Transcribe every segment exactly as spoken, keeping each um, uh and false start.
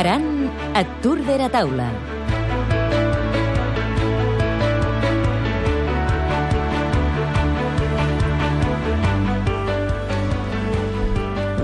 Aran a Tour de la Taula.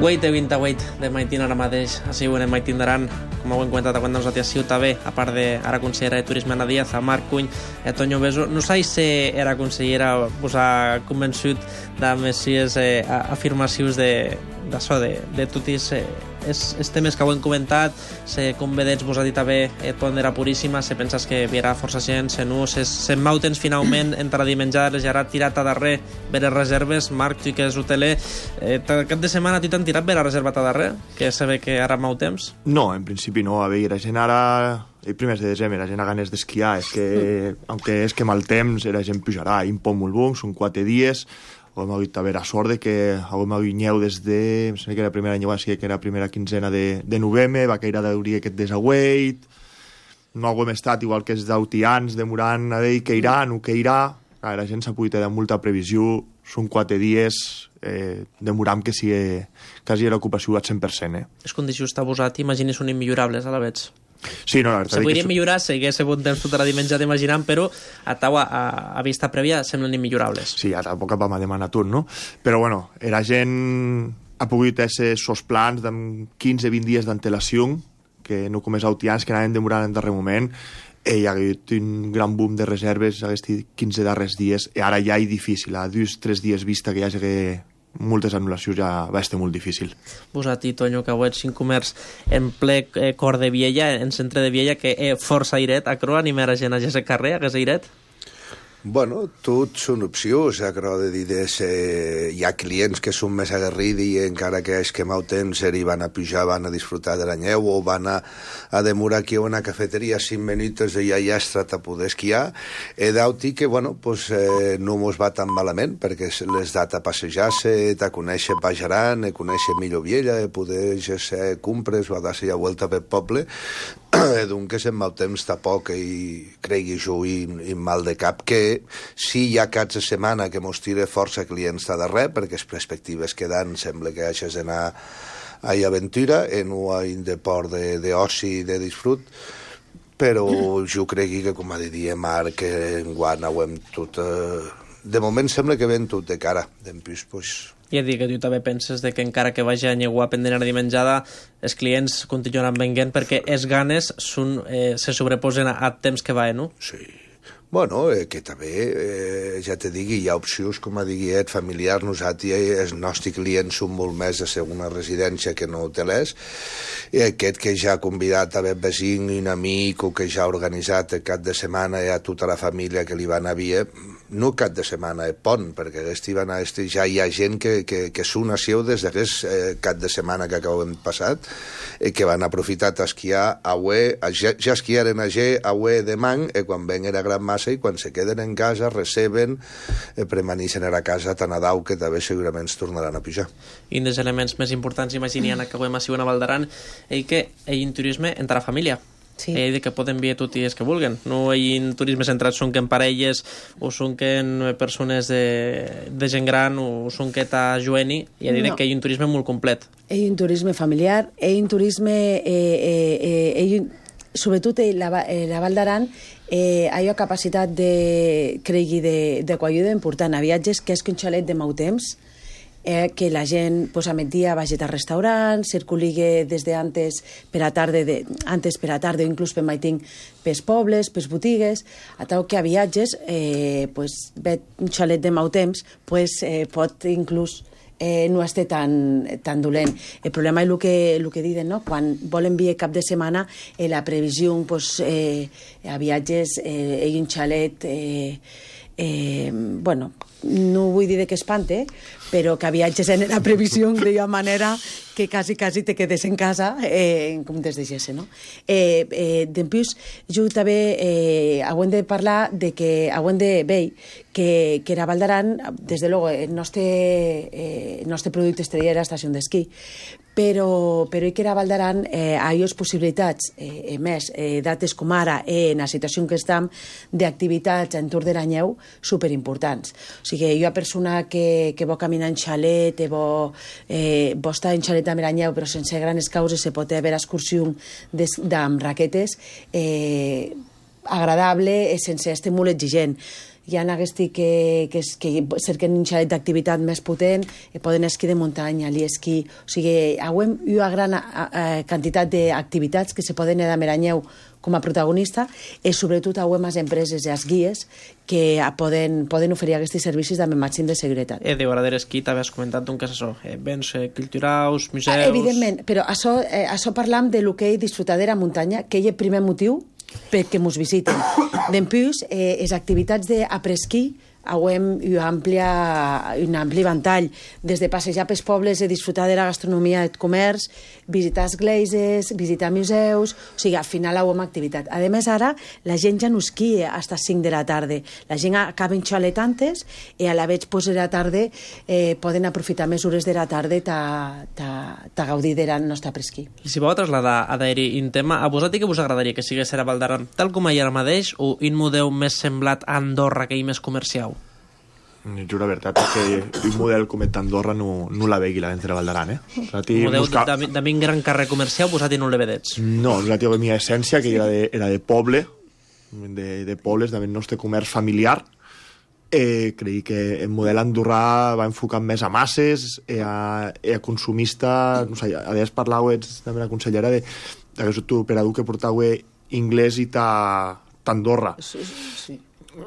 Wait de vint-i-vuit de Maitin ara mateix, així ho anem Maitin d'Aran, com ho hem comentat a quan ens ha sigut també, a part de ara consellera de Turisme Ana Díaz, a Marc Cuny, a Toño Beso. No sé si era consellera us ha convençut de messies eh, afirmacions de, d'això, de, de tots eh, els, els temes que ho hem comentat, se convedets vos ha dit també et pondera puríssima, se penses que virà força gent, se no, se, se mautens finalment entra dimenjades i ara tirat a darrer ver les reserves. Marc, tu que és hoteler, eh, cap de setmana tu t'han tirat ver la reserva a darrer, que se ve que ara mau temps? No, en principi no, a veure, la gent ara el primers de desembre, la gent ha ganes d'esquiar, és que, mm. aunque és que mal temps, la gent pujarà, i un poc molt bon, són quatre dies. Hem hagut a veure sort de que hem hagut nyeu des de, em sembla que era la primera nyeu, sí, que era la primera quinzena de, de novembre, va caire d'hauria aquest desagüeit, no hem estat igual que els d'autians, demorant a dir que irà, no que irà, la gent s'ha pogut dar molta previsió, són quatre dies, eh, demorant que sigui quasi l'ocupació al cent per cent. Eh? Les condicions que posat, imagines, són immillorables a la veig. Sí, no, la se podria millorar, si hagués bon temps tota la dimensió imaginant, però a taua, a, a vista prèvia, semblen immillorables. Sí, ja tampoc vam a demanar tot, no? Però, bueno, la gent ha pogut fer sos plans de quinze a vint dies d'antelació, que no com els autians que anaven demorant en darrer moment, i hi ha hagut un gran boom de reserves aquests quinze darrers dies, i ara ja és difícil, a dos o tres dies vista que hi hagi moltes anul·lacions ja va estar molt difícil. Vos a ti, Toño, que ho ets en comerç en ple eh, cor de Viella, en centre de Viella, que eh, força airet, a croa animar a gent a aquest carrer, a aquest airet? Bueno, tot són opcions, acabo de dir, de ser... hi ha clients que són més aguerrits i encara que és que mau temps hi van a pujar, van a disfrutar de la neu o van a, a demorar aquí a una cafeteria cinc minuts i ja hi ha estat a poder esquiar. He d'auti que, bueno, pues, eh, no mos va tan malament perquè les dat a passejar-se, a conèixer Bajaran, a conèixer millor Viella, a poder fer compres o a dar-se ja vuelta pel poble. Donc en mau temps tampoc i cregui jo i, i mal de cap que sí hi ha caps de setmana que mos tira força clients de darrer perquè les perspectives que dan sembla que hagis d'anar a aventura en un deport d'oci i de disfrut, però jo cregui que, com ha de dir Marc, que enguany ho hem tot eh... de moment sembla que ven tot de cara d'empús, pues... I a dir que tu també penses de que encara que vagi a Nyegua pendent a dimenjada, els clients continuaran venguent perquè els ganes són, eh, se sobreposen a, a temps que va, no? Sí. Bueno, eh, que també, eh, ja te digui, hi ha opcions, com a diguet, familiars. Nosaltres, els nostres clients són molt més de segona residència que no hotelers. I aquest que ja ha convidat a un vecí, un amic, o que ja ha organitzat el cap de setmana a tota la família que li van a via, no cap de setmana, el pont, perquè van a este, ja hi ha gent que, que, que són a seu des d'aquest eh, cap de setmana que acabem passat, eh, que van aprofitar a esquiar a ué, a, ja, ja esquiaren a G, a ué de man, i quan ven era gran massa, i quan se queden en casa, receben, eh, permaneixen a la casa tan a dau que també segurament es tornaran a pujar. I un dels elements més importants, imaginem, que acabem a Siuen a Valdaran, és que hi ha turisme entre la família. Sí. Ell que poden vir tots els que vulguen. No hi ha turisme centrat, són que en parelles o són que en persones de, de gent gran o són que t'ha jueni, i ha dit no. que hi ha un turisme molt complet. Hi ha un turisme familiar, hi ha un turisme eh, eh, eh, sobretot la, la Val d'Aran eh, hi ha capacitat de cregui de, de coajuda important a viatges, que és que un xalet de mau temps, Eh, que la gent pues, a migdia vagi al restaurant, circuligue des de antes per a tarde, de, antes per a tarde o inclús per maiting pels pobles, pels botigues, a tal que a viatges eh, pues, ve un xalet de mau temps pues, eh, pot inclús eh, no esté tan, tan dolent. El problema és el que, el que diuen, no? Quan volen vir cap de setmana, eh, la previsió pues, eh, a viatges eh, hi ha un xalet eh, eh, bueno, no vull dir que espante, però que viatges en la previsió de manera que quasi, quasi te quedes en casa eh, en comptes de gesse, no? Eh, eh, D'empús, jo també eh, hem de parlar de que hem de veure que, que era Val d'Aran, des de luego, el nostre, eh, el nostre producte estrella era estació d'esquí, però, però hi que era Val d'Aran eh, hi ha possibilitats, eh, més, eh, dates com ara, eh, en la situació en què estem, d'activitats en Tour de la Neu superimportants. O sigui, jo a persona que, que vol caminar en xalet, vol, eh, vol estar en xalet amb Aranyeu, però sense grans causes, se pot haver excursió amb raquetes, eh, agradable, sense este molt exigent. Hi ha aquests que, que, que cerquen un xalet d'activitat més potent, poden esquí de muntanya, l'esquí... O sigui, hi ha una gran eh, quantitat d'activitats que se poden anar a Meranyeu com a protagonista i sobretot hi ha les empreses i els guies que poden, poden oferir aquests servicis amb el màxim de seguretat. Eh, de vegades esquí també has comentat un cas això, eh, béns eh, culturals, museus... Ah, evidentment, però això, eh, això parlam de lo que he disfrutat de la muntanya, que és el primer motiu perquè mos visiten. D'empús, eh, les activitats d'apresquí hem un ampli, un ampli ventall, des de passejar pels pobles i disfrutar de la gastronomia i el comerç, visitar esglésies, visitar museus, o sigui, al final hem activitat. A més, ara, la gent ja no esquia fins a les cinc de la tarda. La gent acaba en xalet antes i a la veig pues, de la tarda eh, poden aprofitar més hores de la tarda ta gaudir de la nostra presquí. I si vau trasladar a d'aeri un tema, a vosaltres que vos agradaria que sigués a Val d'Aran tal com hi ara mateix o un model més semblat a Andorra que hi més comercial? Jo la veritat és que un model com el d'Andorra no, no la vegui la d'entre Val d'Aran, eh? Un model busca... de, de un gran carrer comercial vosaltres no le vedets? No, nosaltres la meva essència, que era de, era de poble, de, de pobles, del nostre comerç familiar, eh, creig que el model andorrà va enfocat més a masses, eh, a, eh, a consumista, no sé, a vegades parlàveu també la consellera de, de que tu operador que portau anglès i t'Andorra. Sí, sí.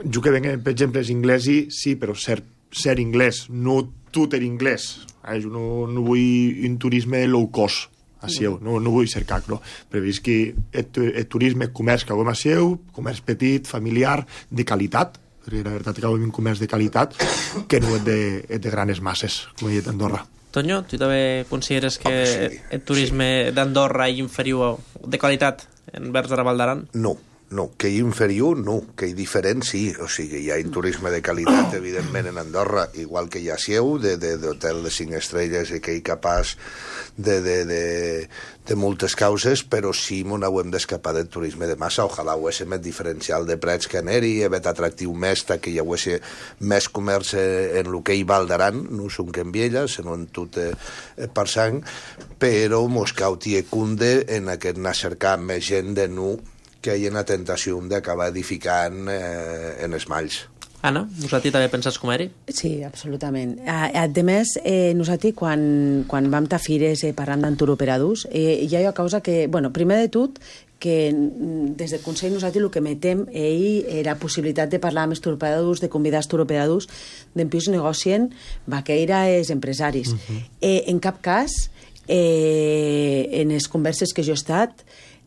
Jo que venc, per exemple, és anglès i sí, però ser, ser anglès, no tot er anglès. Eh? Jo no, no vull un turisme low cost a Sieu, no, no vull ser cacro, però veig que el, el turisme, el comerç que hagem a Sieu, comerç petit, familiar, de qualitat, perquè la veritat que hagem un comerç de qualitat que no és de, és de granes masses, com he dit a Andorra. Toño, tu també consideres que oh, sí, el turisme sí. d'Andorra és inferior de qualitat envers de la Val d'Aran? No. No, que hi inferior, no. Que hi diferent, sí. O sigui, hi ha un turisme de qualitat, evidentment, en Andorra, igual que hi ha Sieu, d'hotel de, de cinc estrelles i que hi capaç de, de, de, de moltes causes, però sí m'ho hem d'escapar del turisme de massa. Ojalà ho hagués més diferencial de preus que anar-hi, haver atractiu més, que hi hagués més comerç en el que hi Val d'Aran, no són que en Viella, sinó en tot eh, per sang, però mos cauti e cunde en aquest anar a cercar més gent de nu que hi ha una tentació d'acabar edificant eh, en els malls. Anna, nosaltres també penses com eri? Sí, absolutament. A, a més, eh, nosaltres quan, quan vam a fires eh, parlant d'enturoperadors, eh, hi ha una causa que, bueno, primer de tot, que des del Consell nosaltres el que metem ell era la possibilitat de parlar amb els turoperadors, de convidar els turoperadors, d'empús negocien vaqueira els empresaris. Uh -huh. eh, en cap cas, eh, en les converses que jo he estat,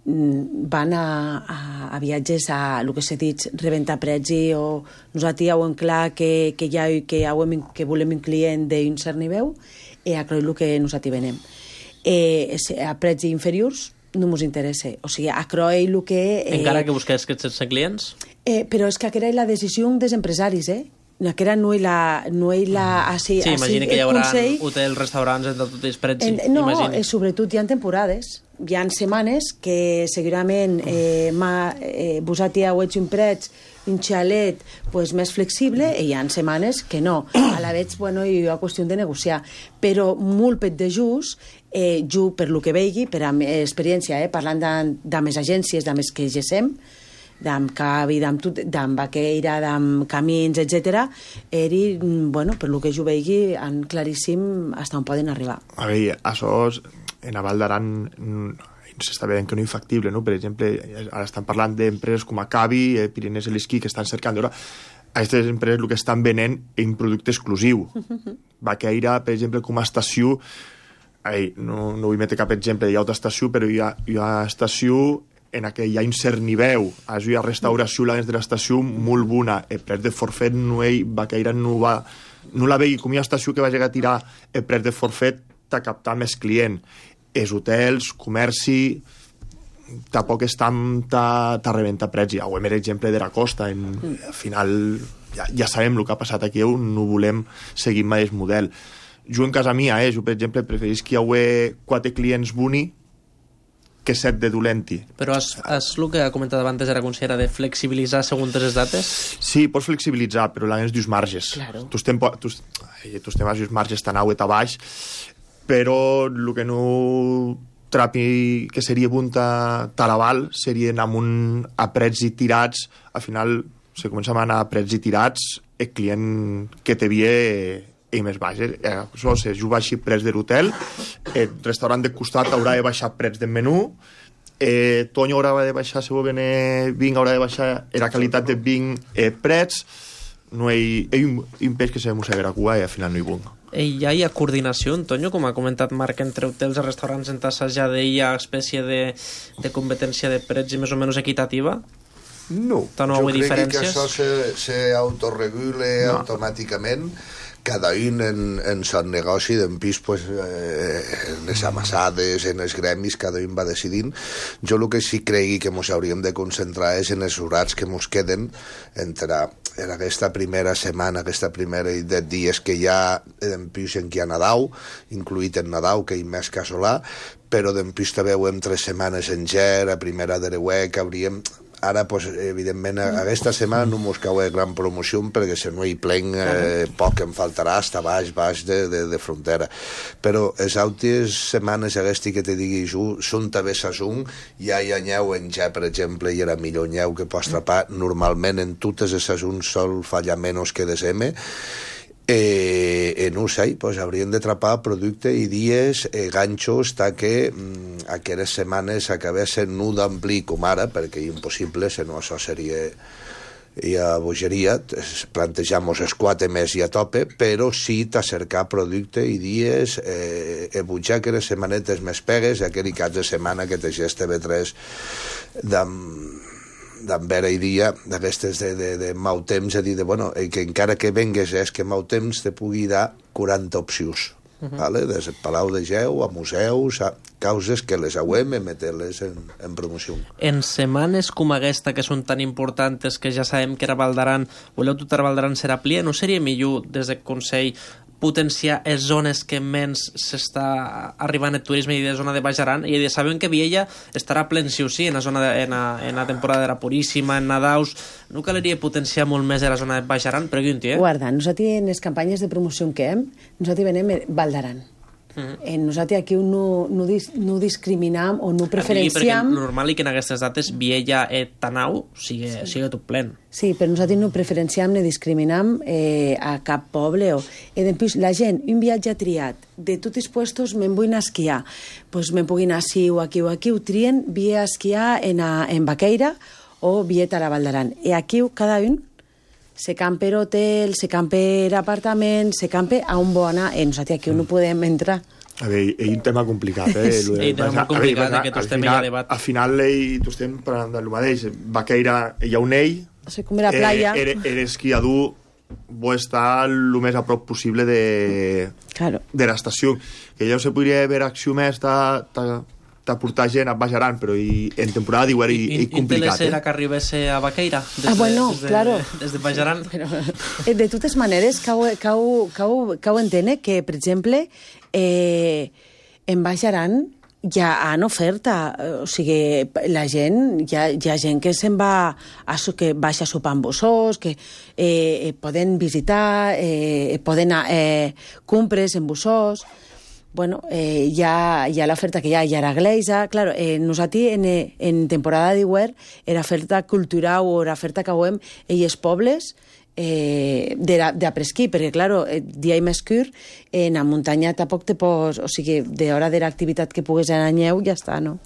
van a, a, a viatges a el que s'ha dit, rebentar prezi o nosaltres ja ho hem clar que, que, ja, que, ja hem, que volem un client d'un cert nivell i a creure el que nosaltres venem. Eh, a prezi inferiors no ens interessa. O sigui, a creure el que... Eh, Encara que busqués aquests sense clients? Eh, però és que aquesta és la decisió dels empresaris, eh? Aquesta no és la... No és la així, sí, imagina que hi haurà consell... hotels, restaurants, entre tots els preus. No, eh, sobretot hi ha temporades. Hi ha setmanes que segurament eh, eh, vosaltres heu hecho un preu, un xalet pues, més flexible i hi ha setmanes que no. A la vegada, bueno, hi ha qüestió de negociar. Però molt pet de just, eh, jo, per lo que vegi, per a experiència, eh, parlant de més agències, de més que gesem, d'amb Cavi, d'amb Vaqueira, d'amb Camins, etcètera, eri, bueno, per lo que jo vegi, han claríssim fins on poden arribar. A veure, això és, en a Val d'Aran s'està veient que no és factible, no? Per exemple, ara estan parlant d'empreses com a Cavi, eh, Pirineus i l'Esquí, que estan cercant. Ara, aquestes empreses el que estan venent és un producte exclusiu. Vaqueira, per exemple, com a estació, ai, no, no vull metre cap exemple, hi ha altra estació, però hi ha, hi ha estació en què hi ha un cert nivell. Hi ha restauració dins de l'estació molt bona. El preu de forfet no hi Vaqueira no va... No la vegi com una estació que va llegar a tirar el preu de forfet a captar més client. Els hotels, comerci, tampoc estan a rebentar preci. Ho hem exemple de la costa. En, al final ja, ja sabem el que ha passat aquí, no volem seguir mai el model. Jo en casa mia, eh, jo per exemple preferís que hi hagi quatre clients boni que set de dolenti. Però és, és el que ha comentat abans era considera de flexibilitzar segons les dates? Sí, pots flexibilitzar, però l'any és dius marges. Claro. Tu estem, tu, tu estem dius marges tan au et a baix, però el que no trapi que seria punta Taraval serien amb un aprets i tirats, al final se comença a anar a aprets i tirats, el client que te vie i més baix. Eh? Això se juga així prets de l'hotel, el restaurant de costat haurà de baixar prets del menú, eh, Toño haurà de baixar, si volen eh, vinc, haurà de baixar la qualitat de vinc eh, prets, no hi, hi ha un, un peix que se mossega a cua i al final no hi vinc. I ja hi ha coordinació, Antonio, com ha comentat Marc, entre hotels i restaurants en assajar hi ha espècie de, de competència de prets i més o menys equitativa? No, no jo crec diferències? que això se, se autoregule no. automàticament, cada un en, en son negoci d'en pis, pues, eh, en les amassades, en els gremis, cada un va decidint. Jo el que sí cregui que ens hauríem de concentrar és en els horats que ens queden entre en aquesta primera setmana, aquesta primera de dies que hi ha en pis en què hi ha Nadal, incluït en Nadal, que hi ha més casolà, però d'en pis també ho hem tres setmanes en ger, a primera de reuec, hauríem... Ara, pues, evidentment, aquesta setmana no mos cau gran promoció perquè si no hi plenc eh, poc em faltarà hasta baix, baix de, de, de frontera. Però les altres setmanes aquestes que te digui jo, són també sasung, ja hi ha nyeu en ja, per exemple, i era millor nyeu que pots trapar. Normalment en totes les sasungs sol fallar menys que desembre. Eh, eh, no ho sé, pues, haurien de trapar producte i dies, eh, ganxos, ta que mm, aquelles setmanes acabessin no d'amplir com ara, perquè és impossible, si no això seria ja bogeria, plantejamos els quatre més i a tope, però sí t'acercar producte i dies, eh, e butjar aquelles setmanetes més pegues, aquell cap de setmana que te gesta B tres d'am d'envera i dia, d'aquestes de, de, de mau temps, a dir, de, bueno, que encara que vengues és que mau temps te pugui dar quaranta opcions, uh -huh. vale? Des del Palau de Geu a museus, a causes que les hauem de meter-les en, en promoció. En setmanes com aquesta, que són tan importants, que ja sabem que era Valdaran, voleu tot a Valdaran serà plia, no seria millor des del Consell potenciar les zones que menys s'està arribant el turisme i de zona de Baix Aran, i sabem que Viella estarà plen sí o sí en la zona de, en, la, en la temporada de la Puríssima, en Nadaus, no caldria potenciar molt més de la zona de Baix Aran, però un dia. Guarda, nosaltres en les campanyes de promoció que hem, nosaltres venem Val d'Aran. Uh -huh. En nosaltres aquí no, no, dis, no discriminam o no preferenciam... Perquè normal i que en aquestes dates Viella i Tanau sigui, sí. sigui tot plen. Sí, però nosaltres no preferenciam ni discriminam eh, a cap poble. O... Eh, la gent, un viatge triat, de tots els puestos me'n vull anar a esquiar, doncs me'n puguin anar així o aquí o aquí, ho trien, via a esquiar en, a, en Baqueira o via a la Val d'Aran. I aquí cada un se campa hotel, se campa apartament, se campa a on vol anar. Eh, nosaltres aquí no podem entrar. A veure, hi ha un tema complicat, eh? Sí, un tema molt complicat, veure, que tu estem a debat. Al final, eh, tu estem parlant del mateix. Baqueira, hi ha un ell, sí, com era playa. Eh, era, era esquiador, vol estar el més a prop possible de, claro. de l'estació. Que ja se podria haver acció més de, de, de portar gent a Baix Aran, però i, en temporada d'hivern és complicat. I, i, i que arribés a Baqueira? Des ah, bueno, des de, claro. Des de Baix Aran? Però, de totes maneres, cau, cau, cau, cau entendre que, per exemple, eh, en Baix Aran hi ha en oferta, o sigui, la gent, hi ha, hi ha gent que se'n va a, que baixa a sopar amb bussós, que eh, poden visitar, eh, poden anar eh, compres en bussós. Bueno, eh, hi ha, hi ha l'oferta que hi ha, hi ha la Gleisa, claro, eh, nosaltres en, en temporada d'hivern era oferta cultural o era oferta que veiem en els pobles eh, d'apresquí, perquè, claro, eh, dia i més curt, en la muntanya tampoc te pots... O sigui, d'hora de l'activitat que pugues anar a neu, ja està, no?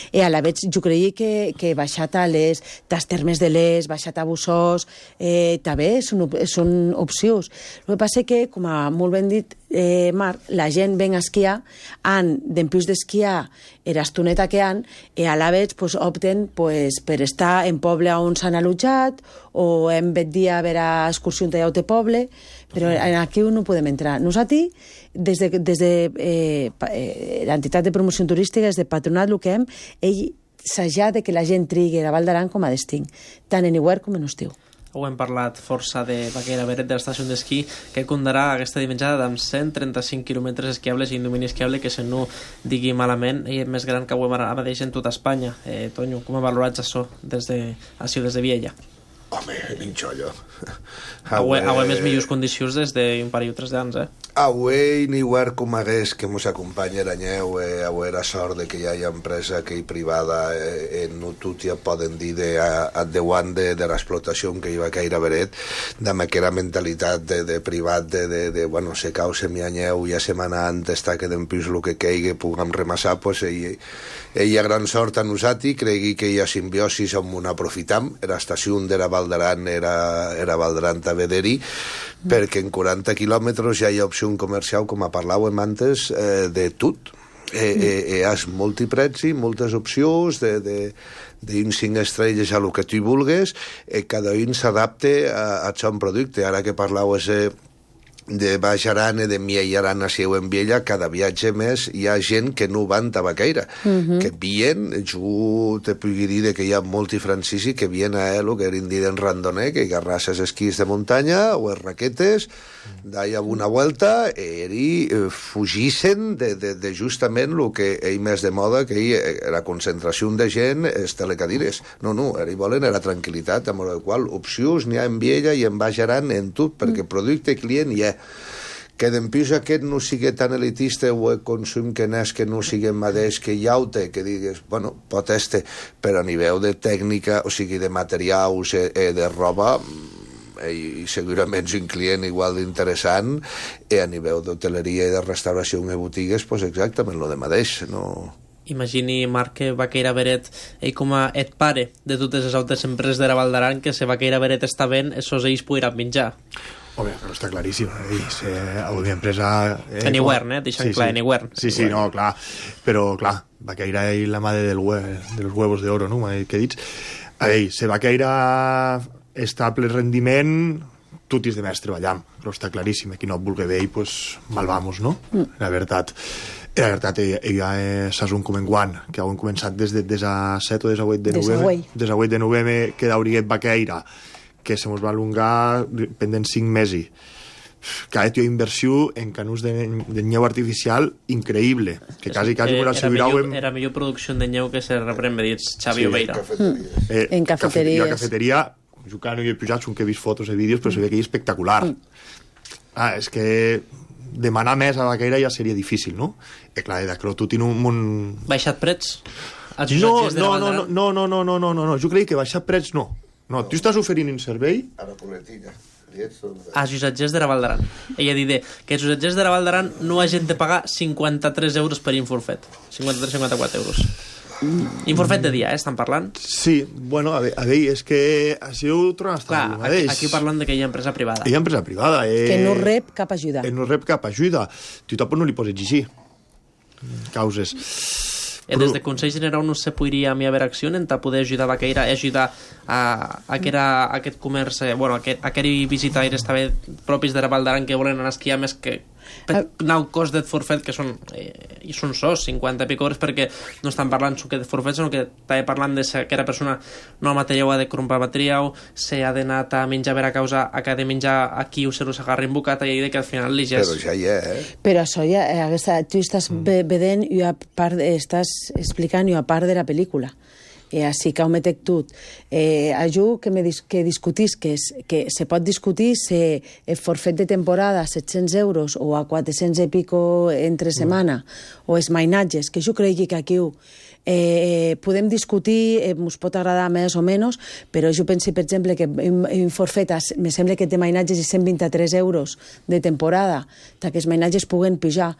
I a la vegada, jo creia que, que baixat a les tas termes de les, baixat a Bussós, eh, també són, són opcions. El que passa que, com ha molt ben dit eh, Marc, la gent ven a esquiar, han, d'empús d'esquiar, era estoneta que han, i a la vegada pues, opten pues, per estar en poble on s'han allotjat, o en vet dia a veure excursió en tallau de poble, però aquí no podem entrar. Nosaltres, des de, des de eh, eh, l'entitat de promoció turística, des de Patronat, el que hem, ell s'ajà de que la gent trigui a Val d'Aran com a destí, tant en hivern com en estiu. ho hem parlat força de Baqueira Beret, de l'estació d'esquí, que comptarà aquesta dimensionada amb cent trenta-cinc quilòmetres esquiables i un domini esquiable que, si no digui malament, és més gran que ho hem ara mateix en tota Espanya. Eh, Tonyo, com valorats això des de, així, des de Viella? Home, ninxollo. Avui hem més millors condicions des d'un parell o tres d'anys, eh? Avui ni huer com hagués que mos acompanya l'anyeu, eh, avui era sort de que hi ha empresa que hi privada eh, en no tot ja poden dir de, a, a deuant de, de l'explotació que hi va caire Beret, de aquella mentalitat de, de privat, de, de, de bueno, se cau se mi anyeu, ja setmana antes està que d'empís el que caigui, puguem remassar, pues ell, ell ha gran sort a nosaltres, cregui que hi ha simbiosis on un aprofitam, era estació de la Val d'Aran, era, era Val d'Aran a Vederi, mm. perquè en quaranta quilòmetres ja hi ha opció comercial, com a parlàvem antes, eh, de tot. Eh, eh, eh, has multiprezi, moltes opcions, de, de, d'un cinc estrelles a lo que tu vulguis, eh, cada un s'adapte a, a son producte. Ara que parlàveu eh, de Baix Aran i de Miei Aran a Sieu en Viella, cada viatge més hi ha gent que no van a Baqueira, uh-huh. que vien, jo te pugui dir que hi ha molti francisi que vien a Elo, que eren dir en randoner, que agarrasses esquís de muntanya o es raquetes, d'ahí a una vuelta, i eh, fugissen de, de, de justament el que ell més de moda, que ell, la concentració de gent, és telecadires. No, no, ells volen la tranquil·litat, amb la qual opcions n'hi ha en Viella i en Baix Aran en tot, perquè producte client hi ha. Que d'empís aquest no sigui tan elitista o el consum que n'és que no sigui mateix que hi haute, que digues, bueno, pot este, però a nivell de tècnica, o sigui, de materials, eh, de roba, i segurament és un client igual d'interessant, i a nivell d'hoteleria i de restauració i botigues, pues exactament lo de mateix, no... Imagini, Marc, que Baqueira Beret, ell com a et pare de totes les altres empreses de la Val d'Aran, que si Baqueira Beret està ben, esos ells podran menjar. Home, però està claríssim. Ells, eh, a una empresa... Eh, en Iguern, eh? Deixa'm sí, clar, sí. en Iguern. Sí, sí, no, clar. Però, clar, Baqueira és la madre del hue, de los huevos de oro, no? Que dits. A ell, si Baqueira està a ple rendiment, tot és de més treballam. Però està claríssim. Qui no et vulgui veure, pues, mal vamos, no? Mm. La veritat. La veritat, ella és un com en guant, que han començat des de des a set o des a vuit de novembre. Des a vuit de novembre que d'Auriguet Baqueira, que se mos va allungar pendent cinc mesos. Cada tio inversió en canús de, de nyeu artificial increïble, que quasi, quasi eh, era, millor, era millor producció de nyeu que se reprèn, me dits Xavi sí, Obeira. Mm. Eh, en cafeteries. La cafeteria, jo que no hi he pujat, són que he vist fotos i vídeos, però mm. se ve que és espectacular. Mm. Ah, és que demanar més a Baqueira ja seria difícil, no? Eh, clar, de que tu tens un... un... Baixat prets? No, no, no, no, no, no, no, no, no, no, jo crec que baixar prets no. No, tu estàs oferint un servei... A la poletilla. A Josatgers de la Val d'Aran. Ella dit que a Josatgers de la Val d'Aran no hagin de pagar cinquanta-tres euros per inforfet. cinquanta-tres cinquanta-quatre euros. Mm. Inforfet de dia, eh, estan parlant? Sí, bueno, a veure, és que així ho trobem Clar, aquí, aquí parlant de que hi ha empresa privada. Hi ha empresa privada. Eh... Que no rep cap ajuda. Que no rep cap ajuda. Tu tampoc no li pots exigir causes. Eh, des de Consell General no se podria a mi haver acció en poder ajudar Baqueira, ajudar a, a, que era, a aquest comerç, eh, bueno, a aquest, a aquest visitaires també propis de la Val d'Aran que volen anar a esquiar més que per nou cost de forfet que són eh, i són sos, cinquanta pico hores, perquè no estan parlant que de forfet, sinó que també parlant de que aquella persona no ha material ha de comprar material, se ha d'anar a menjar per a causa a que ha de menjar aquí o se lo s'agarra en bocat i que al final li ja és... Però ja hi ha, eh? Però això ja, aquesta, tu estàs mm. vedent i a part, estàs explicant i a part de la pel·lícula. Eh, així que ho metec tot. Eh, ajudo que, me dis que discutisques, que se pot discutir si el forfet de temporada a set-cents euros o a quatre-cents i pico entre setmana, mm. o els mainatges, que jo crec que aquí eh, podem discutir, eh, ens pot agradar més o menys, però jo penso, per exemple, que un forfet, me sembla que té mainatges de cent vint-i-tres euros de temporada, que els mainatges puguen pujar.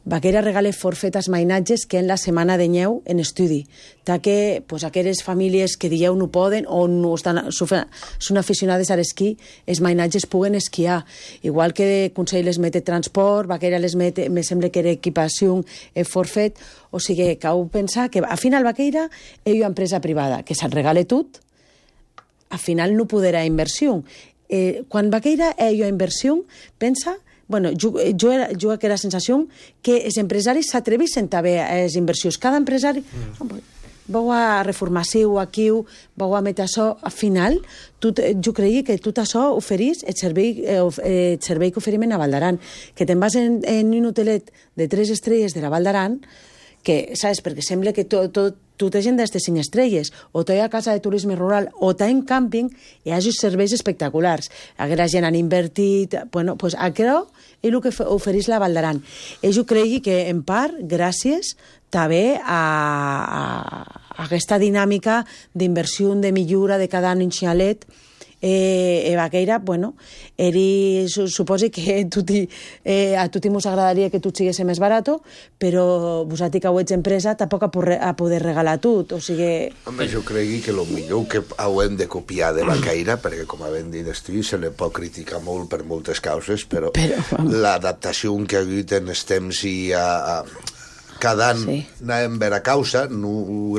Baqueira regala forfet als mainatges que en la setmana de nyeu en estudi, ta que pues, aquelles famílies que dieu no poden o no estan, són aficionades a l'esquí, els mainatges puguen esquiar. Igual que Consell les mete transport, Baqueira les mete, me sembla que era equipació, el forfet, o sigui, que heu pensat que al final Baqueira és una empresa privada, que se'l regala tot, al final no podrà inversió. Eh, quan Baqueira és una inversió, pensa... Bueno, jo, jo, era, jo aquella sensació que els empresaris s'atreveixen també a les inversions. Cada empresari... Mm. vau a reformació aquí, vau a metre això, al final, tu, jo creia que tot això oferís el servei, eh, el servei que oferim a Val d'Aran, que te'n vas en, en un hotelet de tres estrelles de la Val d'Aran, que, saps, perquè sembla que tot, tot, tota gent d'aquestes cinc estrelles, o t'hi ha casa de turisme rural, o t'hi ha en càmping, i hi ha serveis espectaculars. Aquella gent han invertit... Bueno, doncs això és el que ofereix la Val d'Aran. I jo cregui que, en part, gràcies també a, a, a aquesta dinàmica d'inversió, de millora de cada any en xalet, Eh, eh, Vaqueira, bueno, eri, suposi que tuti, eh, a tutti mos agradaria que tot sigués més barat, però vosaltres que ho ets empresa tampoc a, poder, a poder regalar tot, o sigui... Home, jo cregui que el millor que haurem de copiar de Vaqueira, perquè com havent dit estiu, se li pot criticar molt per moltes causes, però, però l'adaptació que ha hagut en els temps i a... a cada any sí. Anàvem a veure causa. No,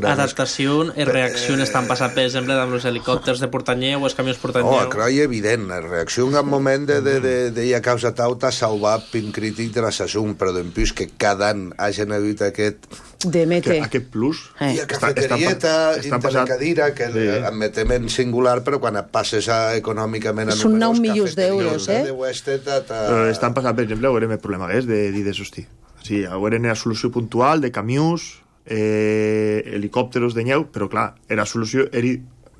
adaptació i reacció eh, estan passant, per exemple, amb els helicòpters de Portanyeu o els camions Portanyeu. Oh, crec que és evident. La reacció en un moment de, de, de, de, de causa tauta salvar pim crític de la sasum, però d'empús que cada any hagin hagut aquest... De mete. Aquest plus. Eh. I a cafeterieta, intercadira, que sí. Admetem en singular, però quan et passes a, econòmicament... Són nou milions d'euros, eh? De Westeta, ta... Però estan passant, per exemple, veurem el problema és de dir de sosti. Sí, ara era solució puntual de camions, eh, helicòpteros de nyeu, però clar, era solució... Era,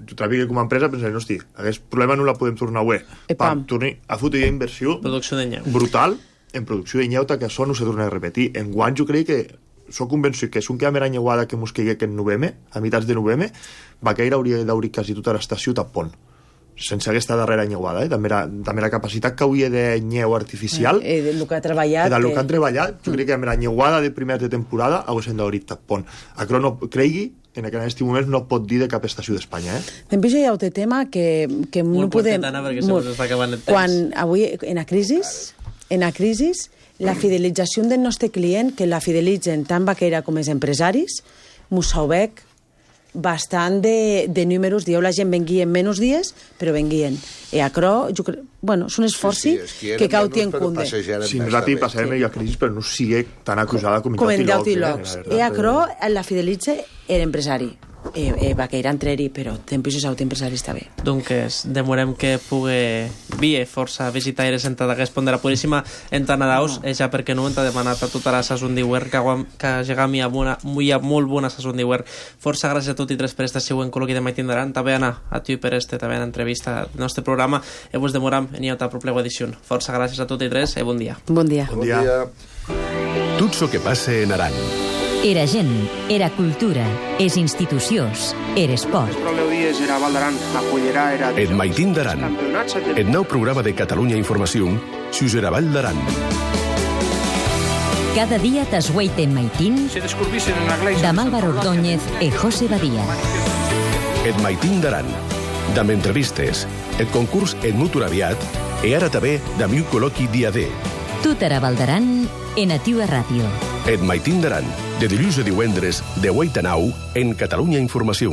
tu tràfic com a empresa pensaré, hosti, aquest problema no la podem tornar a web. Pam, torni a fotre ja inversió producció de nyeu. Brutal en producció de nyeu, que això no se torna a repetir. En guany jo crec que soc convençut que és un que a mera nyeuada que mos caigui en novembre, a mitats de novembre, Vaqueira hauria d'obrir quasi tota l'estació tapont, sense aquesta darrera nyeuada, eh? també, la, també la capacitat que hauria de nyeu artificial eh, eh, del que ha treballat, del que... que han treballat, jo crec que amb la nyeuada de primers de temporada haguessin d'obrir tapont. Acro no cregui en aquest moment no pot dir de cap estació d'Espanya, eh? Després hi ha un tema que, que no podem... Molt, molt. Quan avui, en la crisi, en la crisi, la fidelització del nostre client, que la fidelitzen tant Vaqueira com els empresaris, m'ho sabec bastant de, de números. Dieu, la gent vengui en menys dies, però venguien. I acro, jo crec, bueno, és un esforç sí, sí, que cau tien compte. Si nosaltres passarem sí. a crisi, però no sigui tan acusada com, com en Dautilocs. I acro la fidelitza l'empresari. Eh, eh, Vaqueira entrer-hi, però tempos és autoempresari està bé. Doncs demorem que pugui vir força visitaires en d'aquest pont de la Puríssima en Tanadaus, no. Ja perquè no t'ha demanat a tota la sason d'Iwer que, que llegami a, una, muy, a molt bona sason d'Iwer. Força gràcies a tots i tres per esta següent col·loqui de Mai Tindaran, també Anna, a tu per este també en entrevista al nostre programa, i vos demoram en iota proplega edició. Força gràcies a tots i tres i bon dia. Bon dia. Bon dia. Tot so que passa en Aran. Era gent, era cultura, és institucions, era esport. Et Maitin d'Aran, el nou programa de Catalunya Informació, sus era Val d'Aran. Cada dia t'esgueiten Maitin, de Álvaro Ordóñez e José Badía. Et Maitin d'Aran, d'amb entrevistes, et concurs et mutur aviat, e ara també d'amiu col·loqui dia D. Tot era Val d'Aran, en Ativa Ràdio. Et Maitin d'Aran, de dilluns a divendres, de vuit a nou, en Catalunya Informació.